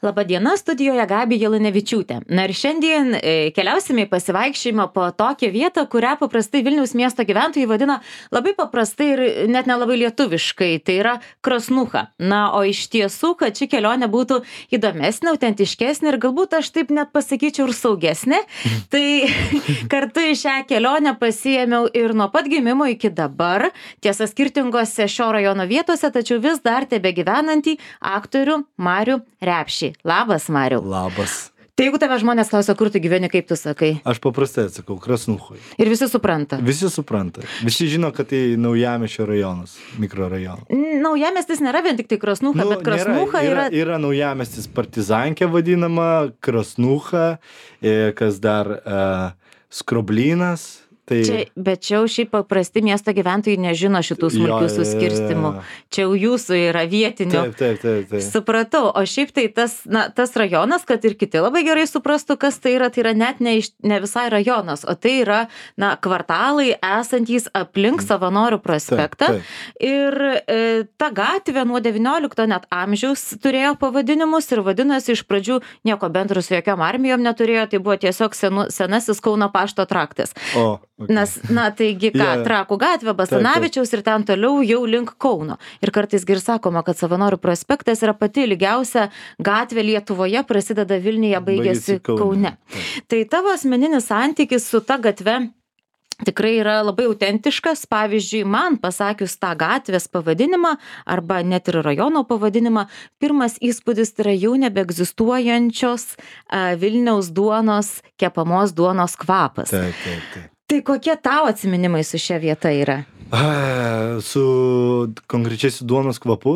Labadiena, studijoje Gabija Lunevičiūtė. Na ir šiandien keliausime į pasivaikščiojimą po tokią vietą, kurią paprastai Vilniaus miesto gyventojai vadina labai paprastai ir net nelabai lietuviškai. Tai yra Krasnucha. Na, o iš tiesų, kad ši kelionė būtų įdomesnė, autentiškesnė ir galbūt aš taip net pasakyčiau ir saugesnė, tai kartu į šią kelionę pasiėmiau ir nuo pat gimimo iki dabar, tiesa skirtingose šio rajono vietose, tačiau vis dar tebegyvenantį aktorių Marių Repšį. Labas, Mariau. Labas. Tai jeigu tave žmonės klausia, kur tu gyveni, kaip tu sakai? Aš paprastai atsakau, Krasnuchoj. Ir visi supranta? Visi supranta. Visi žino, kad tai Naujamiesčio rajonas, mikrorajonas. Naujamiestis nėra vien tik tai Krasnucha, bet Krasnucha yra... Yra Naujamiestis Partizankė vadinama, Krasnucha, kas dar Skroblynas. Tai... Bet čia jau šiaip paprasti miesto gyventojai nežino šitų smulkių suskirstimų. Čia jau jūsų yra vietinių. Taip. Supratau. O šiaip tai tas rajonas, kad ir kiti labai gerai suprastų, kas tai yra net ne visai rajonas, o tai yra kvartalai esantys aplink Savanorių prospektą. Taip. Ir ta gatvė nuo 19 net amžiaus turėjo pavadinimus ir vadinosi iš pradžių nieko bendro su jokiom armijom neturėjo, tai buvo tiesiog senasis Kauno pašto traktas. Okay. Nes, taigi Trakų gatvė, Basanavičiaus ir ten toliau jau link Kauno. Ir kartais ir sakoma, kad Savanorių prospektas yra pati ilgiausia gatvė Lietuvoje, prasideda Vilniuje, baigėsi Kaune. Tai tavo asmeninis santykis su ta gatve tikrai yra labai autentiškas. Pavyzdžiui, man pasakius tą gatvės pavadinimą arba net ir rajono pavadinimą, pirmas įspūdis yra jau nebeegzistuojančios Vilniaus duonos, kepamos duonos kvapas. Taip. Tai kokie tau atsiminimai su šia vieta yra? Su konkrečiai su duonos kvapu?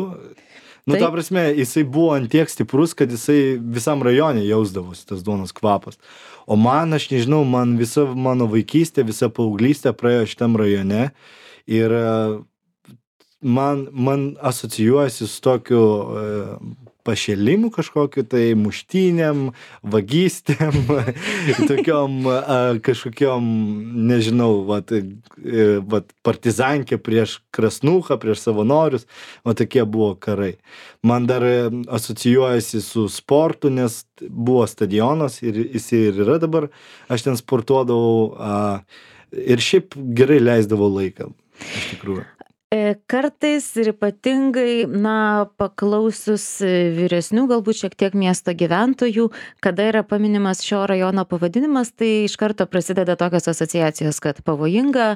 Ta prasme, jisai buvo ant tiek stiprus, kad jisai visam rajone jausdavosi tas duonos kvapas. O man, aš nežinau, visa mano vaikystė, visa paauglystė praėjo šitam rajone ir man asocijuojasi su tokiu pašėlimu kažkokiu, tai muštynėm, vagystėm, tokiom kažkokiom, nežinau, partizankė prieš Krasnuchą, prieš Savanorius, tokie buvo karai. Man dar asocijuojasi su sportu, nes buvo stadionas ir jis ir yra dabar, aš ten sportuodavau ir šiaip gerai leisdavau laiką, iš tikrųjų. Kartais ir ypatingai, paklausius vyresnių, galbūt šiek tiek miesto gyventojų, kada yra paminimas šio rajono pavadinimas, tai iš karto prasideda tokios asociacijos, kad pavojinga,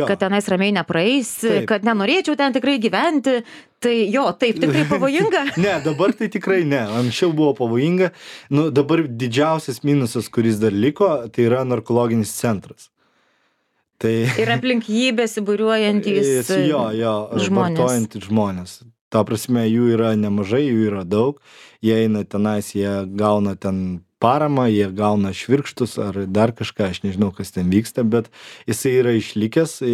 kad tenais ramiai nepraeis, kad nenorėčiau ten tikrai gyventi. Tai taip, tikrai pavojinga? Ne, dabar tai tikrai ne. Anksčiau buvo pavojinga. Dabar didžiausias minusas, kuris dar liko, tai yra narkologinis centras. Ir aplink jį besibūriuojantys vartojantys žmonės. Ta prasme, jų yra nemažai, jų yra daug. Jie eina tenais, jie gauna ten paramą, jie gauna švirkštus ar dar kažką, aš nežinau, kas ten vyksta, bet jisai yra išlikęs,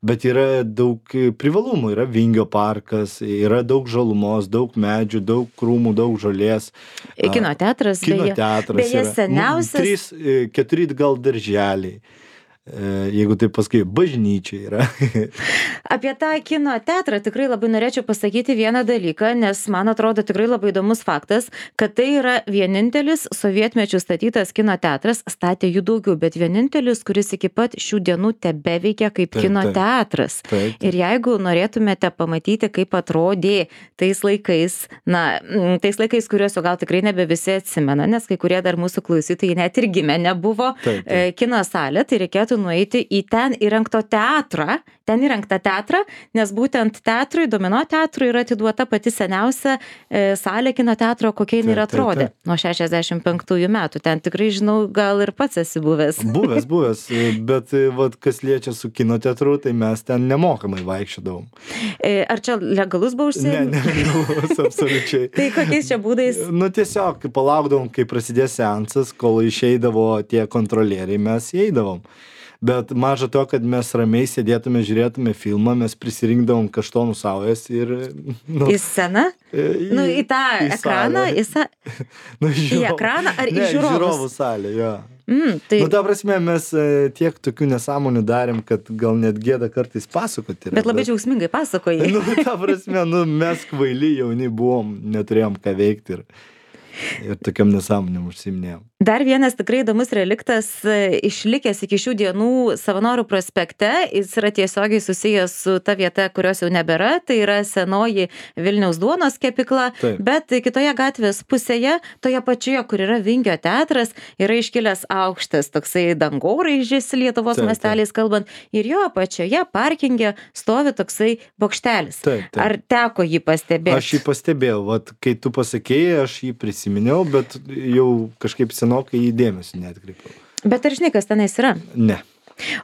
bet yra daug privalumų. Yra Vingio parkas, yra daug žalumos, daug medžių, daug krūmų, daug žolės. Kinoteatras, beje seniausias. 4 gal darželiai. Jeigu taip pasakai, bažnyčia yra. Apie tą kino teatrą tikrai labai norėčiau pasakyti vieną dalyką, nes man atrodo tikrai labai įdomus faktas, kad tai yra vienintelis sovietmečių statytas kino teatras, statė jų daugiau, bet vienintelis, kuris iki pat šių dienų tebeveikia kaip kino teatras. Ir jeigu norėtumėte pamatyti, kaip atrodė tais laikais, kuriuos jau gal tikrai nebe visi atsimena, nes kai kurie dar mūsų klausytojai net ir gimę nebuvo kino salė, tai reikėtų nueiti į ten įrengtą teatrą, nes būtent teatrui, Domino teatrui yra atiduota pati seniausia salė kino teatro, kokia jinai ir atrodė nuo 65 metų. Ten tikrai, žinau, gal ir pats esi buvęs. Buvęs, bet kas liečia su kino teatru, tai mes ten nemokamai vaikščiodavom. Ar čia legalus buvo užsiėmimas? Ne, legalus, absoliučiai. Tai kokiais čia būdais? Tiesiog palaukdavom, kai prasidės seansas, kol išeidavo tie kontrolieriai, mes įeidavom. Bet maža to, kad mes ramiai sėdėtume, žiūrėtume filmą, mes prisirinkdavom kaštonų saujas ir... Į sceną? Į tą ekraną? Į ekraną ar į žiūrovus? Ne, į žiūrovų salę, jo. Ta prasme, mes tiek tokių nesąmonių darėm, kad gal net gėda kartais pasakoti. Bet labai džiaugsmingai pasakojai. Ta prasme, mes kvaili jauni buvom, neturėjom ką veikti ir... ir tokiam nesąmonėm užsiiminėjom. Dar vienas tikrai įdomus reliktas išlikęs iki šių dienų Savanorių prospekte, jis yra tiesiogiai susijęs su ta vieta, kurios jau nebėra, tai yra senoji Vilniaus duonos kepykla, bet kitoje gatvės pusėje, toje pačioje, kur yra Vingio teatras, yra iškilęs aukštas toksai dangoraižis Lietuvos masteliais kalbant, ir jo pačioje parkinge stovi toksai bokštelis. Ar teko jį pastebėti? Aš jį pastebėjau, vat, kai tu pasakėjai, aš jį prisiminiau, bet jau kažkaip senokai jį dėmesį neatkreipiau. Bet ar žinai, kas tenais yra? Ne.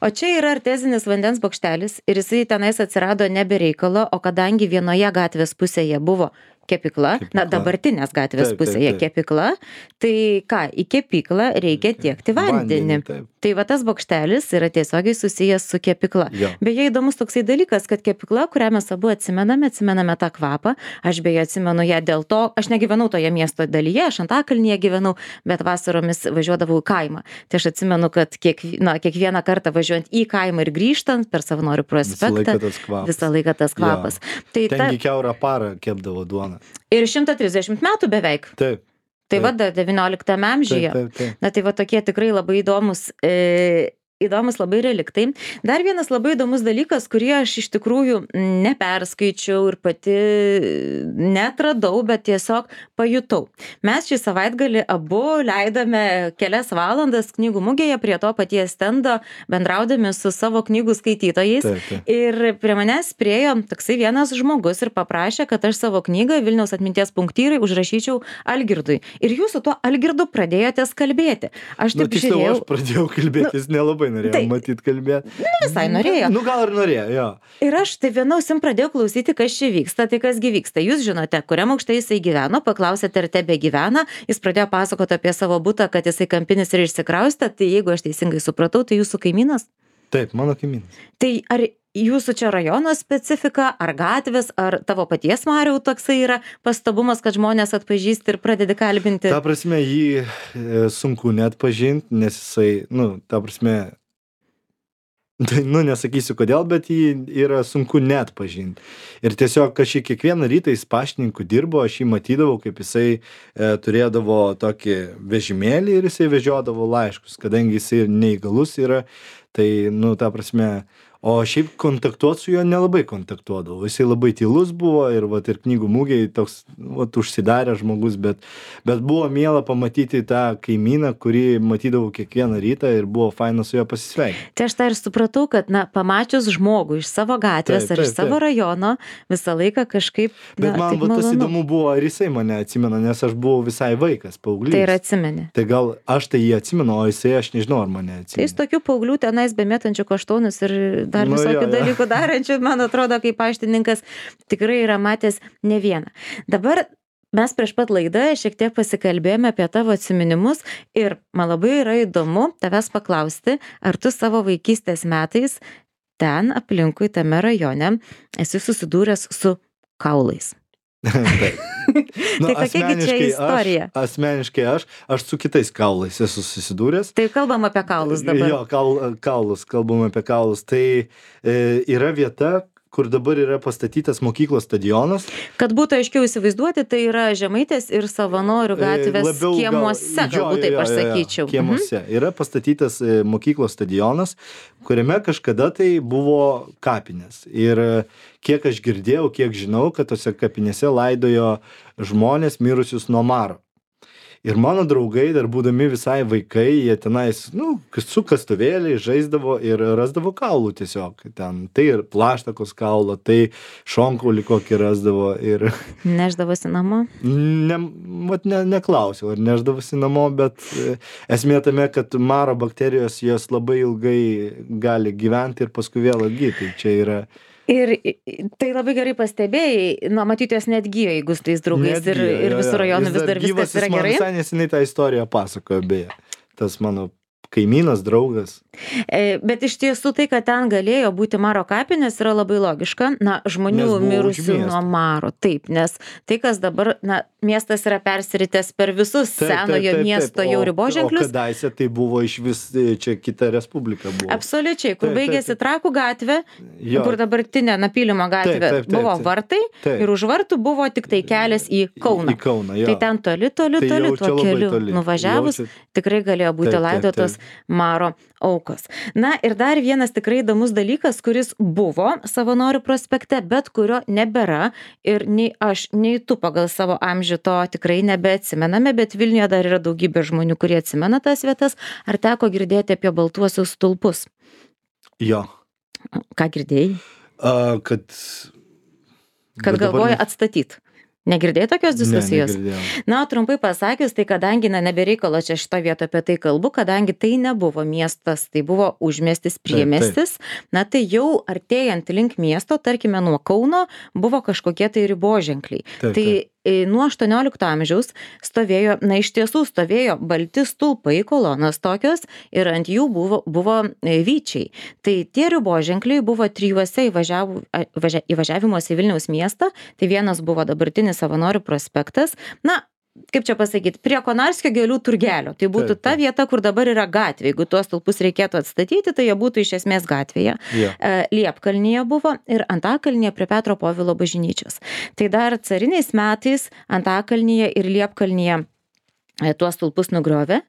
O čia yra artezinis vandens bokštelis ir jisai tenais atsirado nebe reikalo, o kadangi vienoje gatvės pusėje buvo kepykla, na dabartinės gatvės pusėje kepykla, tai ką, į kepyklą reikia tiekti vandenį. Tai va tas bokštelis yra tiesiogiai susijęs su kepykla. Beje, įdomus toksai dalykas, kad kepykla, kurią mes abu atsimename tą kvapą, aš beje atsimenu ją dėl to, aš negyvenau toje miesto dalyje, aš Antakalnyje gyvenau, bet vasaromis važiuodavau į kaimą. Tai aš atsimenu, kad kiekvieną kartą važiuojant į kaimą ir grįžtant per Savanorių prospektą, visą laiką tas kvapas. Tengi kiaurą parą kepdavo duoną. Ir 130 metų beveik. Taip. Tai va, 19 amžiuje. Na tai va tokie tikrai labai įdomus labai reliktai. Dar vienas labai įdomus dalykas, kurį aš iš tikrųjų neperskaičiau ir pati netradau, bet tiesiog pajutau. Mes šį savaitgalį abu leidome kelias valandas knygų mugėje prie to paties stendo, bendraudami su savo knygų skaitytojais. Ir prie manęs priėjo toksai vienas žmogus ir paprašė, kad aš savo knygą Vilniaus atminties punktyrai užrašyčiau Algirdui. Ir jūs su tuo Algirdu pradėjote kalbėti. Aš taip žiūrėjau. Aš pradėjau kalbėti, jis nelabai norėjo matyt kalbėti. Visai norėjo. Gal ir norėjo, jo. Ir aš tai viena ausim pradėjau klausyti, kas čia vyksta, tai kasgi vyksta. Jūs žinote, kuriam aukšte jisai gyveno, paklausėte, ar tebe gyvena, jis pradėjo pasakoti apie savo butą, kad jisai kampinis ir išsikraustė, tai jeigu aš teisingai supratau, tai jūsų kaimynas? Taip, mano kaimynas. Tai ar jūsų čia rajono specifika, ar gatvės, ar tavo paties Mariau toksai yra pastabumas, kad žmonės atpažįsti ir pradedi kalbinti? Ta prasme, jį sunku net pažinti, nes jisai, ta prasme, nesakysiu kodėl, bet jį yra sunku net pažinti. Ir tiesiog aš jį kiekvieną rytą jis paštininku dirbo, aš jį matydavau, kaip jisai turėdavo tokį vežimėlį ir jisai vežiodavo laiškus, kadangi jisai neįgalus yra, tai, ta prasme, o šiaip kontaktuot su juo nelabai kontaktuodavau. Jisai labai tylus buvo ir knygų mugėje toks užsidaręs žmogus, bet buvo miela pamatyti tą kaimyną, kurį matydavau kiekvieną rytą ir buvo faina su juo pasisveikinti. Tai aš tą ir supratau, kad pamačius žmogų iš savo gatvės ar iš savo rajono, visą laiką kažkaip... Bet man tas įdomu buvo, ar jisai mane atsimena, nes aš buvau visai vaikas, paauglys. Tai ir atsimeni. Tai gal aš tai jį atsimenu, o jisai aš nežinau, ar mane atsimena. Tai jis tokių paauglių tenais bemėtančių kaštonus ir dar visokių dalykų darančių, man atrodo, kaip paštininkas tikrai yra matęs ne vieną. Dabar mes prieš pat laidą šiek tiek pasikalbėjome apie tavo atsiminimus ir man labai yra įdomu tavęs paklausti, ar tu savo vaikystės metais ten aplinkui tame rajone esi susidūręs su kaulais. Tai kokia čia istorija? Asmeniškai aš su kitais kaulais esu susidūręs. Tai kalbam apie kaulus dabar. Jo, kalbam apie kaulus. Tai yra vieta, kur dabar yra pastatytas mokyklos stadionas. Kad būtų aiškiau įsivaizduoti, tai yra Žemaitės ir Savanorių gatvės kiemuose, galbūt taip aš sakyčiau. Kiemuose. Yra pastatytas mokyklos stadionas, kuriame kažkada tai buvo kapinės. Ir kiek aš girdėjau, kiek žinau, kad tose kapinėse laidojo žmonės mirusius nuo maro. Ir mano draugai, dar būdami visai vaikai, jie tenais, su kastuvėliai žaisdavo ir rasdavo kaulų tiesiog. Ten, tai ir plaštakos kaulo, tai šonkaulį kokį rasdavo. Ir... Neždavosi namo? Neklausiau, ar neždavosi namo, bet esmė tame, kad maro bakterijos jos labai ilgai gali gyventi ir paskui vėl atgyti. Čia yra... Ir tai labai gerai pastebėjai, matyti jos net gyjo, jeigu su tais draugais ir visų rajonų vis dar viskas yra gerai. Jis man visai neseniai tą istoriją pasakojo, beje. Tas mano kaimynas, draugas. Bet iš tiesų tai, kad ten galėjo būti Maro kapinės, yra labai logiška. Na, žmonių mirusių nuo Maro. Taip, nes tai, kas dabar, na, miestas yra persiritęs per visus senojo miesto jau riboženklius. O kadaise tai buvo iš vis čia kita respublika buvo. Absoliučiai, kur baigėsi Trakų gatvė, kur dabartinė Napylimo gatvė buvo vartai ir už vartų buvo tik tai kelias į Kauną. Į Kauną, jo. Tai ten toli tuo keliu nuvažiavus tikrai galėjo būti laidotos Maro aukos. Na ir dar vienas tikrai įdomus dalykas, kuris buvo Savanorių prospekte, bet kurio nebėra ir nei aš, nei tu pagal savo amžių to tikrai nebeatsimename, bet Vilniuje dar yra daugybė žmonių, kurie atsimena tas vietas. Ar teko girdėti apie baltuosius stulpus? Jo. Ką girdėjai? Kad galvoja atstatyti. Negirdėjai tokios diskusijos? Ne, negirdėjau. Na, trumpai pasakius, tai kadangi, na, nebereikalo čia šitą vietą apie tai kalbu, kadangi tai nebuvo miestas, tai buvo užmiestis, priemiestis, na, tai jau artėjant link miesto, tarkime, nuo Kauno, buvo kažkokie tai riboženkliai. Tai nuo 18 amžiaus stovėjo, na, iš tiesų stovėjo balti stulpai, kolonos tokios ir ant jų buvo vyčiai. Tai tie riboženkliai buvo 3 įvažiavimuose į Vilniaus miestą, tai vienas buvo dabartinis Savanorių prospektas, na, kaip čia pasakyti, prie Konarskio gėlių turgelio. Tai būtų ta vieta, kur dabar yra gatvė. Jeigu tuos stulpus reikėtų atstatyti, tai jie būtų iš esmės gatvėje. Liepkalnyje buvo ir Antakalnyje prie Petro Povilo bažnyčios. Tai dar cariniais metais Antakalnyje ir Liepkalnyje tuos stulpus nugriovė,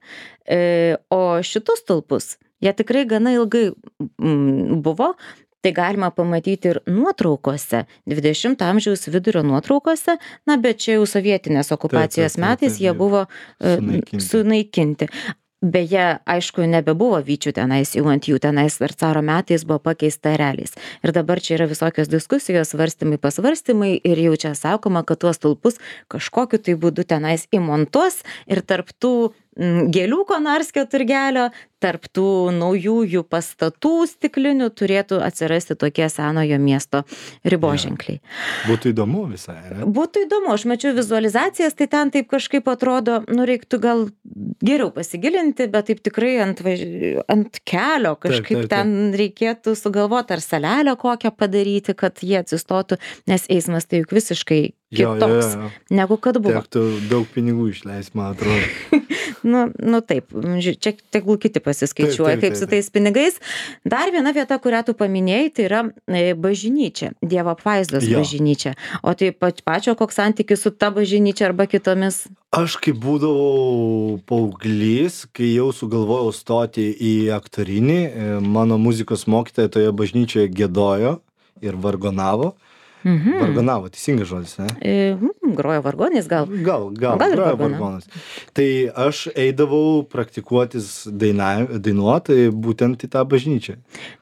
o šitus stulpus, jie tikrai gana ilgai buvo. Tai galima pamatyti ir nuotraukose, 20 amžiaus vidurio nuotraukose, na, bet čia jau sovietinės okupacijos metais jie buvo sunaikinti. Beje, aišku, nebebuvo vyčių tenais, jau ant jų tenais dar caro metais buvo pakeista ereliais. Ir dabar čia yra visokios diskusijos, svarstymai, pasvarstymai ir jau čia sakoma, kad tuos stulpus kažkokiu tai būdu tenais įmontuos ir tarp tų gėlių Konarskio turgelio, tarp tų naujųjų pastatų stiklinių turėtų atsirasti tokie senojo miesto riboženkliai. Būtų įdomu visai, ne? Būtų įdomu, aš mačiau vizualizacijas, tai ten taip kažkaip atrodo, nu reiktų gal geriau pasigilinti, bet taip tikrai ant kelio kažkaip ten reikėtų sugalvoti ar salelę kokią padaryti, kad jie atsistotų, nes eismas tai juk visiškai kitoks, negu kad buvo. Tektų daug pinigų išleis, man atrodo. Nu taip, čia tegul kiti pasiskaičiuoja, kaip su tais pinigais. Dar viena vieta, kurią tu paminėjai, tai yra bažnyčia, Dievo apvaizdos bažnyčia. O tai pačio koks santykis su ta bažnyčia arba kitomis? Aš kai būdavau paauglys, kai jau sugalvojau stoti į aktorinį, mano muzikos mokytoja toje bažnyčioje giedojo ir vargonavo. Vargonavo, teisingas žodis, ne? Grojo vargonais gal? Gal grojo vargonas. Tai aš eidavau praktikuotis dainuoti būtent į tą bažnyčią.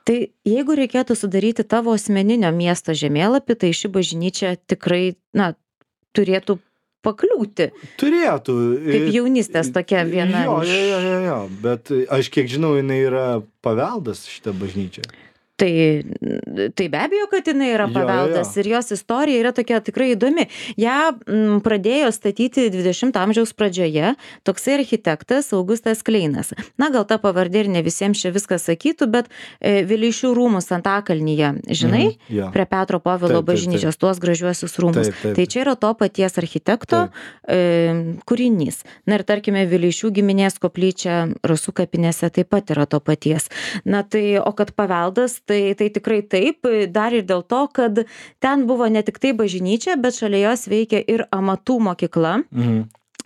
Tai jeigu reikėtų sudaryti tavo asmeninio miesto žemėlapį, tai ši bažnyčia tikrai, na, turėtų pakliūti. Turėtų. Kaip jaunystės tokia viena. Jo, bet aš kiek žinau, jinai yra paveldas šita bažnyčia. Tai be abejo, kad jinai yra paveldas ir jos istorija yra tokia tikrai įdomi. Ja pradėjo statyti 20 amžiaus pradžioje toksai architektas Augustas Kleinas. Na, gal ta pavardė ir ne visiems čia viskas sakytų, bet Vileišių rūmus Antakalnyje, žinai, prie Petro Povilo bažnyčios, tuos gražiuosius rūmus. Tai čia yra to paties architekto kūrinys. Na ir tarkime, Vileišių giminės koplyčia Rasų kapinėse taip pat yra to paties. Na tai, o kad paveldas, tai tikrai taip, dar ir dėl to, kad ten buvo ne tik tai bažnyčia, bet šalia jos veikia ir amatų mokykla.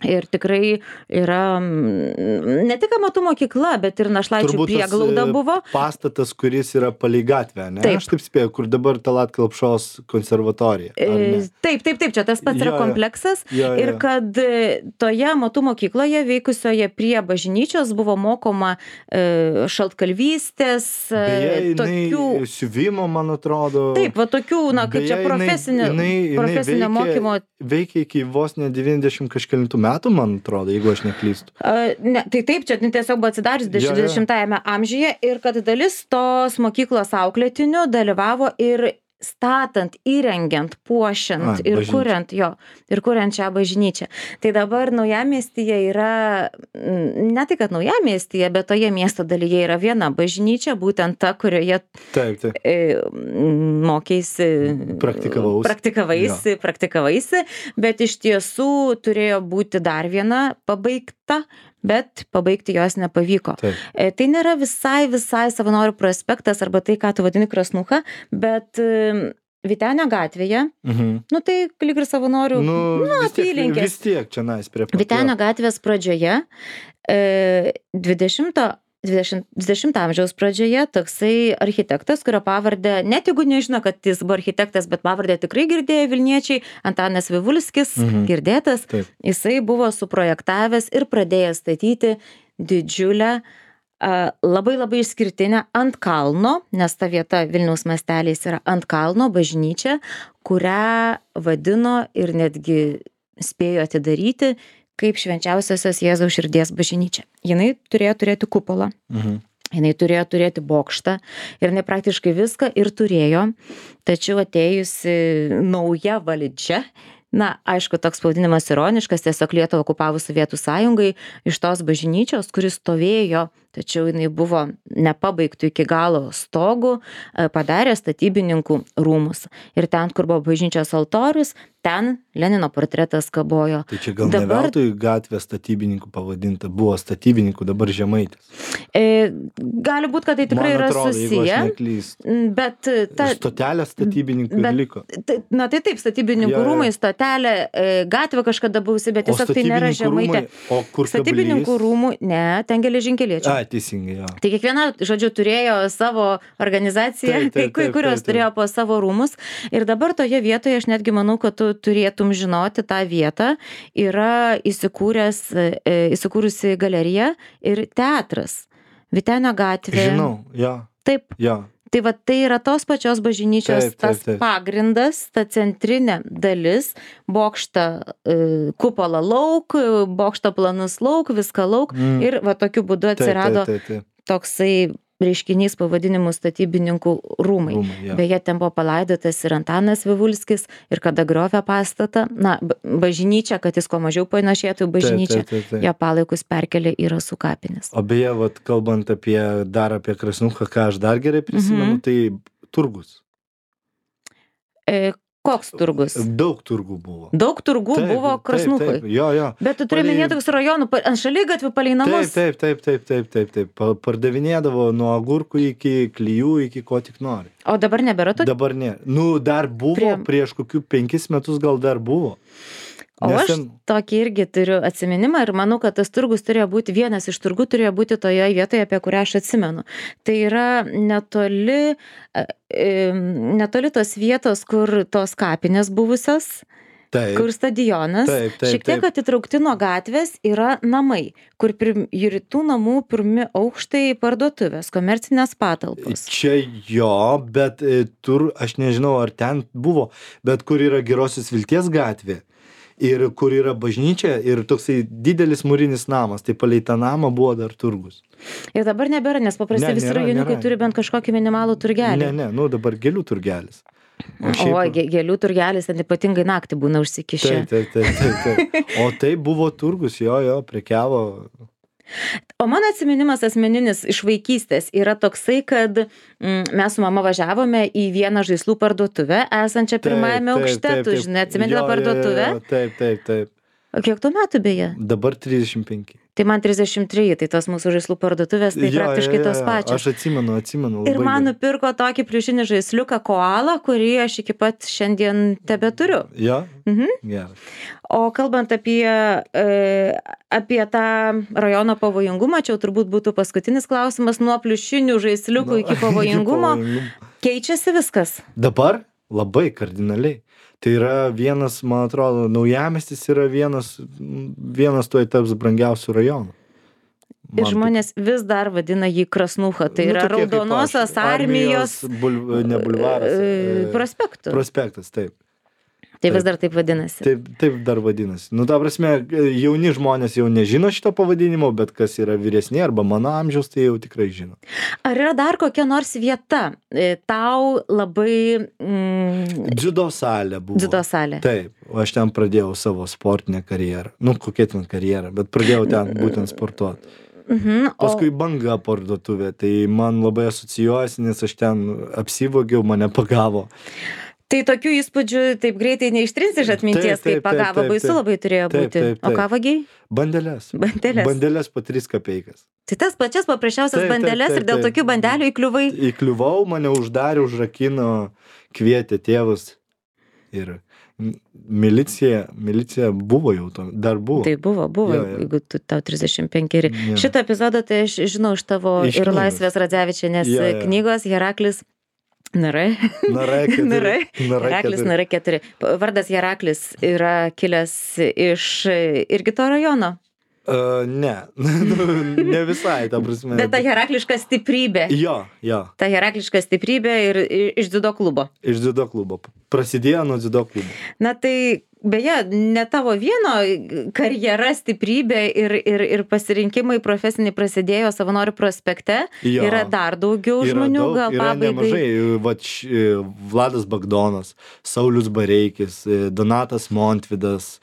Ir tikrai yra ne tik amatų mokykla, bet ir našlaičių prieglauda buvo. Pastatas, kuris yra palei gatvę, ne? Taip. Aš taip spėjau, kur dabar Tallat Kelpšos konservatorija. Taip, čia tas pats yra kompleksas. Ir kad toje amatų mokykloje veikusioje prie bažnyčios buvo mokoma šaltkalvystės, tokių siuvimo, man atrodo. Taip, va tokių, na, kaip čia profesinio mokymo. Veikia iki vos ne 90 kažkelintų metų, man atrodo, jeigu aš neklystu. Ne, tai taip, čia tiesiog buvo atsidarius 20-ame amžiuje ir kad dalis tos mokyklos auklėtinių dalyvavo ir statant, įrengiant, puošiant ir kuriant šią bažnyčią. Tai dabar Naujamiestyje yra, ne tai, kad Naujamiestyje, bet toje miesto dalyje yra viena bažnyčia, būtent ta, kurioje mokėsi, praktikavaisi, bet iš tiesų turėjo būti dar viena pabaigta, bet pabaigti jos nepavyko. Tai nėra visai Savanorių prospektas arba tai, ką tu vadini Krasnucha, bet Vytenio gatvėje, tai lyg ir Savanorių apylinkės. Vis tiek čia prie pat. Vytenio gatvės pradžioje, 20 amžiaus pradžioje toksai architektas, kurio pavardę, net jeigu nežino, kad jis buvo architektas, bet pavardę tikrai girdėjo Vilniečiai, Antanas Vivulskis, girdėtas, jisai buvo suprojektavęs ir pradėjęs statyti didžiulę, labai išskirtinę ant kalno, nes ta vieta Vilniaus masteliais yra ant kalno bažnyčia, kurią vadino ir netgi spėjo atidaryti kaip Švenčiausiosios Jėzaus širdies bažnyčia. Jinai turėjo turėti kupolą, jinai turėjo turėti bokštą ir jinai praktiškai viską ir turėjo, tačiau atėjusi nauja valdžia, aišku, toks pavadinimas ironiškas, tiesiog Lietuvą okupavus Sovietų sąjungai, iš tos bažnyčios, kuris stovėjo, tačiau jinai buvo nepabaigtų iki galo stogų, padarė statybininkų rūmus. Ir ten, kur buvo bažnyčios altorius, ten Lenino portretas kabojo. Tai čia gal ne veltui gatvė statybininkų pavadinta, buvo statybininkų, dabar Žemaitis. Gali būti, kad tai tikrai yra susiję. Bet stotelė statybininkų liko. Tai taip, statybininkų rūmai, stotelė, gatvė kažkada buvusi, bet tiesiog tai nėra Žemaitė. O kur statybininkų rūmų, ne, ten geležinkeliečių. Teisingai, jo. Tai kiekviena, turėjo savo organizaciją, kai kurios turėjo po savo rūmus. Ir dabar toje vietoje, aš netgi manau, kad tu turėtum žinoti tą vietą, yra įsikūrusi galerija ir teatras. Vytenio gatvė. Žinau, jo. Taip. Jo. Tai va, tai yra tos pačios bažnyčios tas pagrindas, ta centrinė dalis, bokštą kupolą lauk, bokštą planus lauk, viską lauk ir va tokiu būdu atsirado toksai reiškinys pavadinimu statybininkų rūmai. Beje, ten buvo palaidotas ir Antanas Vivulskis ir kada griovė pastatą, bažnyčia, kad jis kuo mažiau panašėtų bažnyčią, jo palaikus perkelė į Rasų kapines. O beje, kalbant apie Krasnuchą, ką aš dar gerai prisimenu, tai turgus. Koks turgus? Daug turgų buvo. Daug turgų buvo Krasnuchui. Jo. Bet tu turi minėti toks rajonų, ant šaligatvių palei namus. Taip. Pardavinėdavo nuo agurkų iki klijų, iki ko tik nori. O dabar nebėra tokių? Dabar ne. Dar buvo, prieš kokių 5 metus gal dar buvo. O aš tokį irgi turiu atsiminimą ir manau, kad tas turgus turėjo būti, vienas iš turgų turėjo būti toje vietoje, apie kurią aš atsimenu. Tai yra netoli tos vietos, kur tos kapinės buvusios, kur stadionas, šiek tiek atitraukti nuo gatvės yra namai, kur rytų namų pirmi aukštai parduotuvės, komercinės patalpos. Čia jo, bet aš nežinau, ar ten buvo, bet kur yra Gerosios Vilties gatvė. Ir kur yra bažnyčia ir toksai didelis mūrinis namas, tai palei tą namą buvo dar turgus. Ir dabar nebėra, nes paprastai visi rajoniukai turi bent kažkokį minimalų turgelį. Ne, dabar gėlių turgelis. Gėlių turgelis, ten ypatingai naktį būna užsikišę. Taip. O tai buvo turgus, jo, prekiavo. O mano atsiminimas asmeninis iš vaikystės yra toksai, kad mes su mama važiavome į vieną žaislų parduotuvę, esančią pirmajame aukšte, tu žinai, atsimeni tą parduotuvę? Taip. O kiek tu metų beje? Dabar 35. Tai man 33, tai tos mūsų žaislų parduotuvės, tai praktiškai tos pačios. Aš atsimenu. Ir man nupirko tokį pliušinį žaisliuką koalą, kurį aš iki pat šiandien tebeturiu. Jo? Geras. O kalbant apie tą rajono pavojingumą, čia turbūt būtų paskutinis klausimas, nuo pliušinių žaisliukų iki pavojingumo, keičiasi viskas? Dabar labai kardinaliai. Tai yra vienas, man atrodo, Naujamiestis yra vienas tuoj taps brangiausių rajonų. Ir žmonės vis dar vadina jį Krasnucha, tai yra Raudonosios armijos ne bulvaras. prospektu. Prospektas, taip. Tai vis dar taip vadinasi. Taip dar vadinasi. Nu, ta prasme, jauni žmonės jau nežino šito pavadinimo, bet kas yra vyresni arba mano amžiaus, tai jau tikrai žino. Ar yra dar kokia nors vieta tau labai... Dziudo salė buvo. Dziudo salė. Taip, aš ten pradėjau savo sportinę karjerą. Nu, kokia ten karjerą, bet pradėjau ten būtent sportuoti. Paskui Banga parduotuvė, tai man labai asocijuojasi, nes aš ten apsivogiau, mane pagavo. Tai tokių įspūdžių taip greitai neištrinsi iš atminties, kaip pagavo, baisu labai turėjo būti. O ką vagiai? Bandeles. Bandeles po 3 kapeikas. Tai tas pačias paprasčiausias bandeles ir dėl tokių bandelių įkliuvai? Įkliuvau, mane uždarė, užrakino, kvietė tėvus ir... Milicija buvo jau to, dar buvo. Tai buvo, jeigu tau 35. Šitą epizodą tai aš žinau iš tavo ir Laisvės Radzevičienės knygos Heraklis Nara 4. Vardas Heraklis yra kilęs iš irgi to rajono? Ne, ne visai, ta prasme. Bet ta herakliška stiprybė. Jo. Ta herakliška stiprybė ir iš dziudo klubo. Iš dziudo klubo. Prasidėjo nuo dziudo klubo. Na tai, beje, ne tavo vieno karjera, stiprybė ir pasirinkimai profesiniai prasidėjo Savanorių prospekte. Jo. Yra dar daugiau žmonių, gal pabaigai. Yra nemažai. Vladas Bagdonas, Saulius Bareikis, Donatas Montvydas,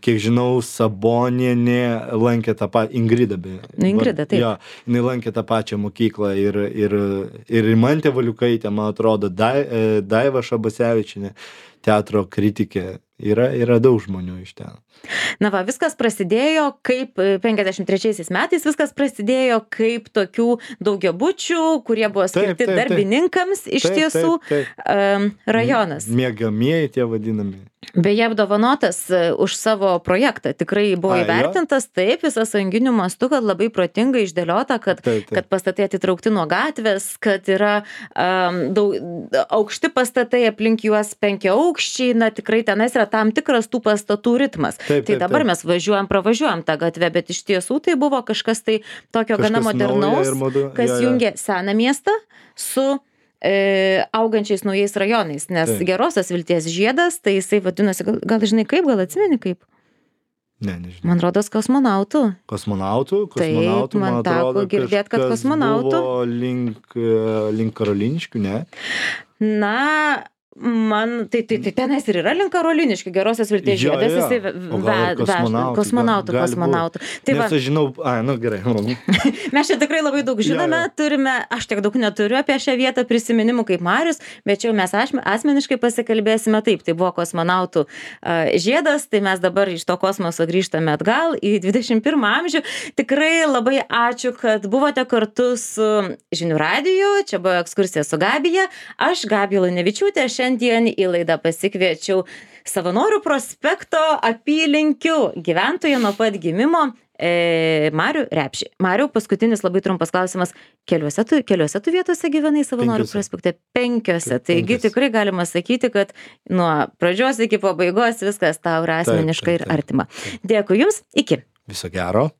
kiek žinau, Sabonienė lankė tą pačią, Ingrida beje. Ingrida, taip. Jo, jinai lankė tą pačią mokyklą ir Rimantė Valiukaitė, man atrodo, Daiva Šabasevičienė, teatro kritikė. Yra daug žmonių iš ten. Na va, viskas prasidėjo kaip 53 metais, viskas prasidėjo kaip tokių daugiabučių, kurie buvo skirti darbininkams iš tiesų rajonas. Miegamieji tie vadinami. Beje, apdovanotas už savo projektą, tikrai buvo įvertintas taip visą sąjunginių mastų, kad labai protingai išdėliota, kad pastatai atitraukti nuo gatvės, kad yra aukšti pastatai, aplink juos 5 aukščiai, na tikrai tenais yra tam tikras tų pastatų ritmas. Tai dabar mes pravažiuojam tą gatvę, bet iš tiesų tai buvo kažkas tai tokio gana modernaus, kas jungia seną miestą su augančiais naujais rajonais, nes Gerosios Vilties žiedas, tai jisai vadinasi, gal žinai kaip, gal atsimeni kaip? Ne, nežinau. Man rodos kosmonautų. Kosmonautų, man teko girdėt, kad kosmonautų. Buvo link Karoliniškių, ne? Na, tai tenais ir yra link Karoliniškių, Gerosios Vilties žiedas, jisai kosmonautų. Nes aš žinau, gerai. Mes čia tikrai labai daug žinome, turime, aš tiek daug neturiu apie šią vietą prisiminimų kaip Marius, bet čia mes asmeniškai pasikalbėsime taip, tai buvo kosmonautų žiedas, tai mes dabar iš to kosmoso grįžtame atgal į 21 amžių. Tikrai labai ačiū, kad buvote kartu su Žinių radiju, čia buvo ekskursija su Gabija, aš Gabija Lunevičiūtė, šiandien į laidą pasikviečiau Savanorių prospekto apylinkių gyventoją nuo pat gimimo Marių Repšį. Mariau, paskutinis labai trumpas klausimas. Keliuose tu vietose gyvenai Savanorių prospekte? 5. Taigi tikrai galima sakyti, kad nuo pradžios iki pabaigos viskas tau yra asmeniškai ir artima. Dėkui Jums, iki. Viso gero.